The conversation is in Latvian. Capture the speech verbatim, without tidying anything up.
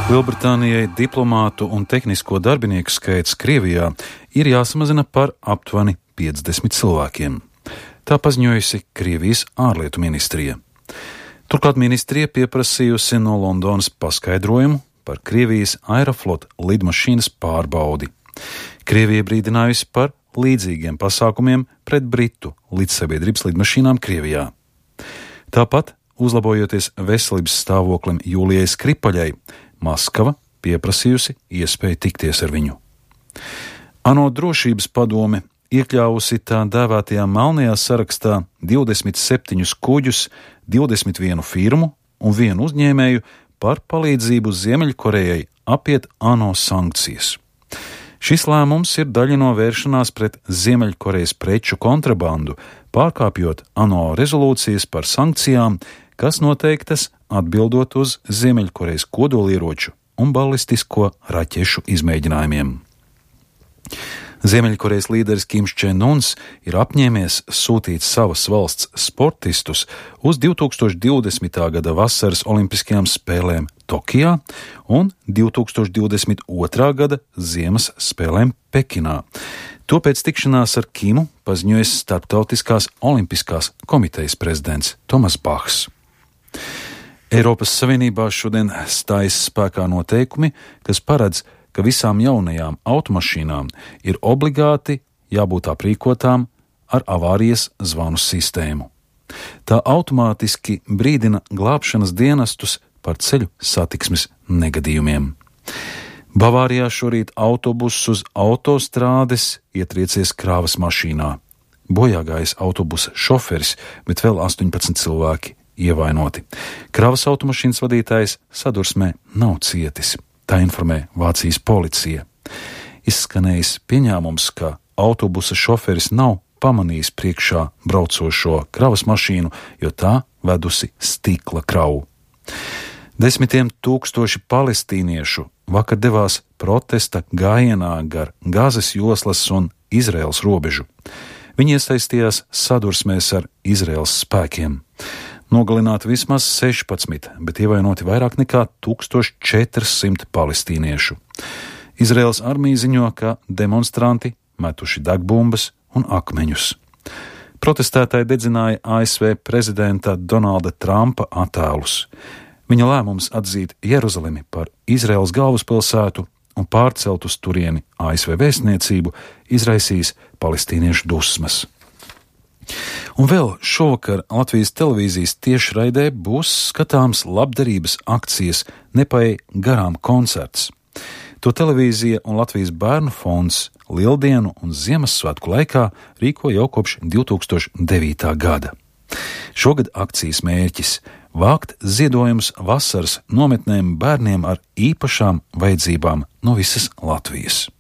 Lielbritānijai diplomātu un tehnisko darbinieku skaits Krievijā ir jāsamazina par aptuveni piecdesmit cilvēkiem. Tā paziņojusi Krievijas ārlietu ministrija. Turklāt ministrija pieprasījusi no Londonas paskaidrojumu par Krievijas Aeroflot lidmašīnas pārbaudi. Krievija brīdinājusi par līdzīgiem pasākumiem pret Britu līdzsabiedrības lidmašīnām Krievijā. Tāpat, uzlabojoties veselības stāvoklim Jūlijai Skripaļai, Maskava pieprasījusi iespēju tikties ar viņu. ANO drošības padome iekļāvusi tā dēvētajā melnajā sarakstā divdesmit septiņus kuģus, divdesmit vienu firmu un vienu uzņēmēju par palīdzību Ziemeļkorejai apiet ANO sankcijas. Šis lēmums ir daļa no vēršanās pret Ziemeļkorejas preču kontrabandu, pārkāpjot ANO rezolūcijas par sankcijām, kas noteiktas atbildot uz Ziemeļkorejas kodolieroču un balistisko raķešu izmēģinājumiem. Ziemeļkorejas līderis Kims Čen Uns ir apņēmies sūtīt savas valsts sportistus uz divi tūkstoši divdesmitā gada vasaras olimpiskajām spēlēm Tokijā un divi tūkstoši divdesmit otrā gada ziemas spēlēm Pekinā. To pēc tikšanās ar Kimu paziņojis Starptautiskās olimpiskās komitejas prezidents Tomas Bahs. Eiropas Savienībā šodien stājas spēkā noteikumi, kas paredz, ka visām jaunajām automašīnām ir obligāti jābūt aprīkotām ar avārijas zvanu sistēmu. Tā automātiski brīdina glābšanas dienestus par ceļu satiksmes negadījumiem. Bavārijā šorīt autobuss uz autostrādes ietriecies krāvas mašīnā. Bojāgājis autobusa šoferis, bet vēl astoņpadsmit cilvēki ievainoti. Kravas automašīnas vadītājs sadursmē nav cietis, tā informē Vācijas policija. Izskanējis pieņēmums, ka autobusa šoferis nav pamanījis priekšā braucošo kravas mašīnu, jo tā vedusi stikla kravu. Desmitiem tūkstoši palestīniešu vakar devās protesta gājienā gar Gazas joslas un Izraēlas robežu. Viņi iesaistījās sadursmēs ar Izraēlas spēkiem. Nogalināti vismaz sešpadsmit, bet ievainoti vairāk nekā tūkstoš četrsimt palestīniešu. Izraēlas armija ziņo, ka demonstranti metuši degbumbas un akmeņus. Protestētāji dedzināja A S V prezidenta Donalda Trumpa attēlus. Viņa lēmums atzīt Jeruzalemi par Izraēlas galvaspilsētu un pārcelt uz turieni A S V vēstniecību izraisīs palestīniešu dusmas. Un vēl šovakar Latvijas televīzijas tiešraidē būs skatāms labdarības akcijas Nepaej garām koncerts. To televīzija un Latvijas bērnu fonds Lieldienu un Ziemassvētku laikā rīko jau kopš divi tūkstoši devītā gada. Šogad akcijas mērķis – vākt ziedojumus vasaras nometnēm bērniem ar īpašām vajadzībām no visas Latvijas.